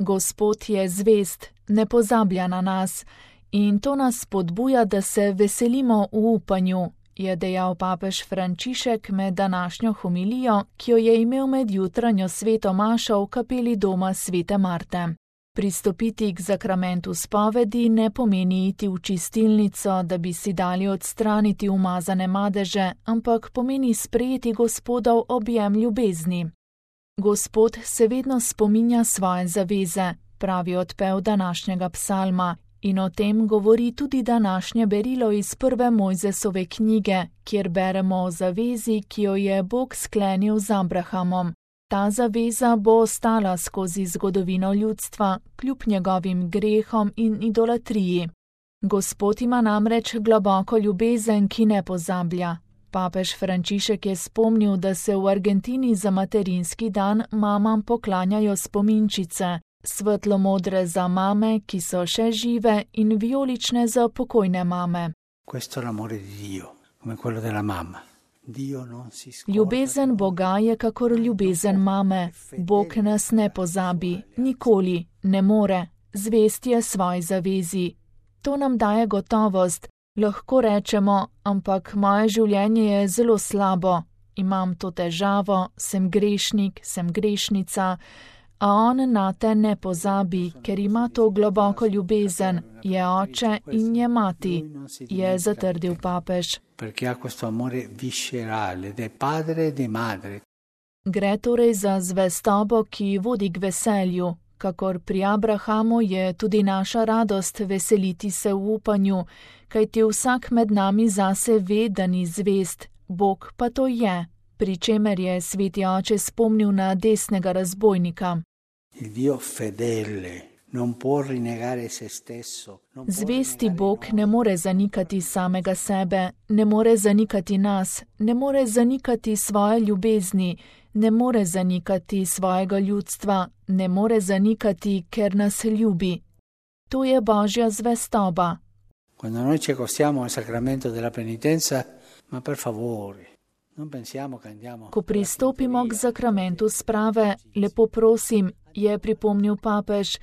Gospod je zvest, ne pozablja na nas in to nas spodbuja, da se veselimo v upanju, je dejal papež Frančišek med današnjo homilijo, ki jo je imel med jutranjo sveto mašo v kapeli doma svete Marte. Pristopiti k zakramentu spovedi ne pomeni iti v čistilnico, da bi si dali odstraniti umazane madeže, ampak pomeni sprejeti Gospodov objem ljubezni. Gospod se vedno spominja svoje zaveze, pravi odpev današnjega psalma, in o tem govori tudi današnje berilo iz prve Mojzesove knjige, kjer beremo o zavezi, ki jo je Bog sklenil z Abrahamom. Ta zaveza bo ostala skozi zgodovino ljudstva, kljub njegovim grehom in idolatriji. Gospod ima namreč globoko ljubezen, ki ne pozablja. Papež Frančišek je spomnil, da se v Argentini za materinski dan mamam poklanjajo spominčice, svetlo-modre za mame, ki so še žive, in vijolične za pokojne mame. Questo è l'amore di Dio, come quello della mamma. Ljubezen Boga je kakor ljubezen mame. Bog nas ne pozabi, nikoli, ne more, zvest je svoji zavezi. To nam daje gotovost, lahko rečemo, ampak moje življenje je zelo slabo, imam to težavo, sem grešnik, sem grešnica, a on na te ne pozabi, ker ima to globoko ljubezen, je oče in je mati, je zatrdil papež. Gre torej za zvestobo, ki vodi k veselju. Kakor pri Abrahamu je tudi naša radost veseliti se v upanju, kajti vsak med nami zase ve, da ni zvest, Bog pa to je, pri čemer je sveti oče spomnil na desnega razbojnika. Zvesti Bog ne more zanikati samega sebe, ne more zanikati nas, ne more zanikati svoje ljubezni, ne more zanikati svojega ljudstva, ne more zanikati, ker nas ljubi. To je Božja zvestoba. Ko pristopimo k zakramentu sprave, lepo prosim, je pripomnil papež,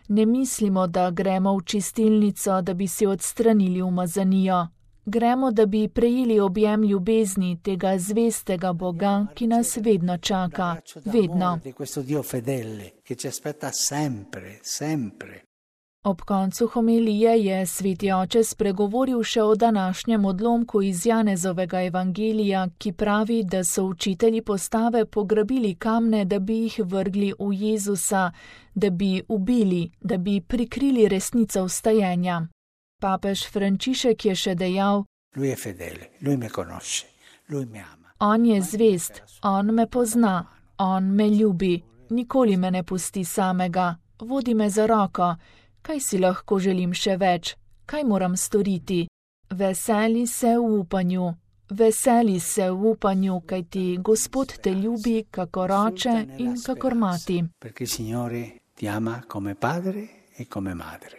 ne mislimo, da gremo v čistilnico, da bi si odstranili umazanijo. Gremo, da bi prejeli objem ljubezni tega zvestega Boga, ki nas vedno čaka, vedno. Ob koncu homilije je sveti oče spregovoril še o današnjem odlomku iz Janezovega evangelija, ki pravi, da so učitelji postave pograbili kamne, da bi jih vrgli v Jezusa, da bi ubili, da bi prikrili resnico vstajenja. Papež Frančišek je še dejal: On je zvest, on me pozna, on me ljubi, nikoli me ne pusti samega, vodi me za roko. Kaj si lahko želim še več? Kaj moram storiti? Veseli se v upanju. Veseli se v upanju, kajti Gospod te ljubi kakor oče in kakor mati. Perché il Signore ti ama come padre e come madre.